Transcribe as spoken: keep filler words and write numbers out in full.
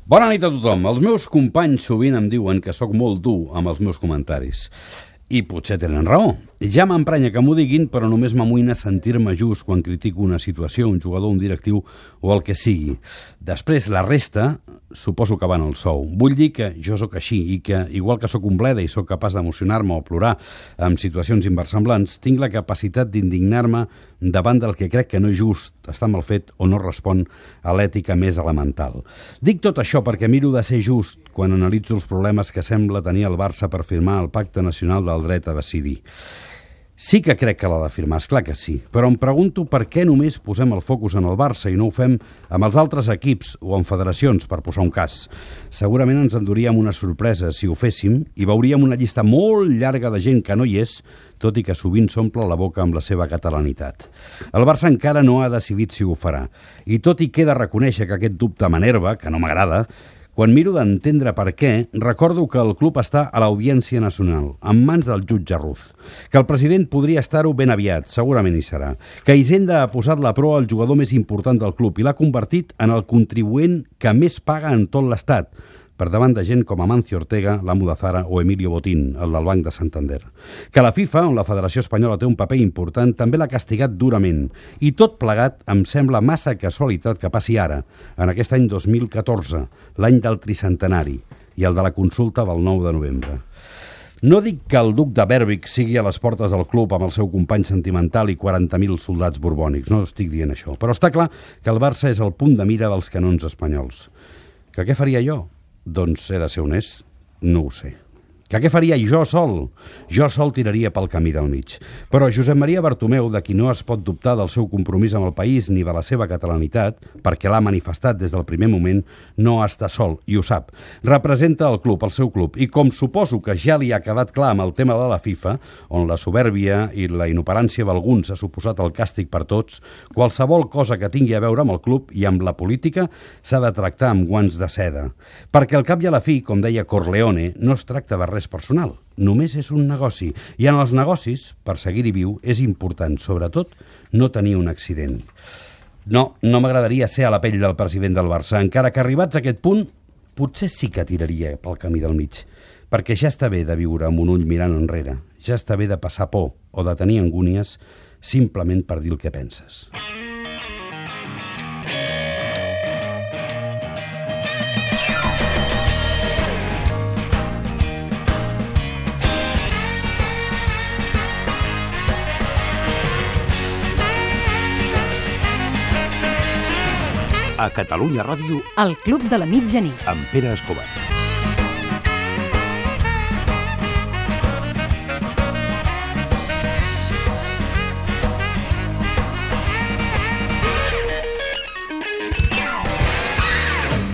Bona nit a tothom. Els meus companys sovint em diuen que sóc molt dur amb els meus comentaris. I potser tenen raó. Ja m'emprenya que m'ho diguin, però només m'amoïna sentir-me just quan critico una situació, un jugador, un directiu o el que sigui. Després, la resta, suposo que van al sou. Vull dir que jo sóc així i que, igual que sóc un bleda i sóc capaç d'emocionar-me o plorar en situacions inversemblants, tinc la capacitat d'indignar-me davant del que crec que no és just, està mal fet o no respon a l'ètica més elemental. Dic tot això perquè miro de ser just quan analitzo els problemes que sembla tenir el Barça per firmar el Pacte Nacional del Dret a Decidir. Sí que crec que l'ha de firmar, esclar que sí, però em pregunto per què només posem el focus en el Barça i no ho fem amb els altres equips o en federacions, per posar un cas. Segurament ens enduríem una sorpresa si ho féssim i veuríem una llista molt llarga de gent que no hi és, tot i que sovint s'omple la boca amb la seva catalanitat. El Barça encara no ha decidit si ho farà, i tot i que he de reconèixer que aquest dubte m'enerva, que no m'agrada, quan miro d'entendre per què, recordo que el club està a l'Audiència Nacional, en mans del jutge Ruz, que el president podria estar-ho ben aviat, segurament hi serà, que Hisenda ha posat la proa al jugador més important del club i l'ha convertit en el contribuent que més paga en tot l'Estat, per davant de gent com Amancio Ortega, l'amo de Zara o Emilio Botín, el del Banc de Santander. Que la FIFA, on la Federació Espanyola té un paper important, també l'ha castigat durament. I tot plegat em sembla massa casualitat que passi ara, en aquest any dos mil catorze, l'any del tricentenari, i el de la consulta del nou de novembre. No dic que el duc de Berwick sigui a les portes del club amb el seu company sentimental i quaranta mil soldats borbònics, no estic dient això, però està clar que el Barça és el punt de mira dels canons espanyols. Que què faria jo? Doncs he de ser honest, no ho sé. Que què faria jo sol? Jo sol tiraria pel camí del mig. Però Josep Maria Bartomeu, de qui no es pot dubtar del seu compromís amb el país ni de la seva catalanitat, perquè l'ha manifestat des del primer moment, no està sol, i ho sap. Representa el club, el seu club, i com suposo que ja li ha quedat clar amb el tema de la FIFA, on la soberbia i la inoperància d'alguns ha suposat el càstig per tots, qualsevol cosa que tingui a veure amb el club i amb la política s'ha de tractar amb guants de seda. Perquè al cap i a la fi, com deia Corleone, no es tracta de res personal, només és un negoci, i en els negocis, per seguir-hi viu, és important, sobretot, no tenir un accident. No, no m'agradaria ser a la pell del president del Barça, encara que arribats a aquest punt, potser sí que tiraria pel camí del mig, perquè ja està bé de viure amb un ull mirant enrere, ja està bé de passar por o de tenir angúnies simplement per dir el que penses. A Catalunya Ràdio, El Club de la Mitjanit. amb Pere Escobar.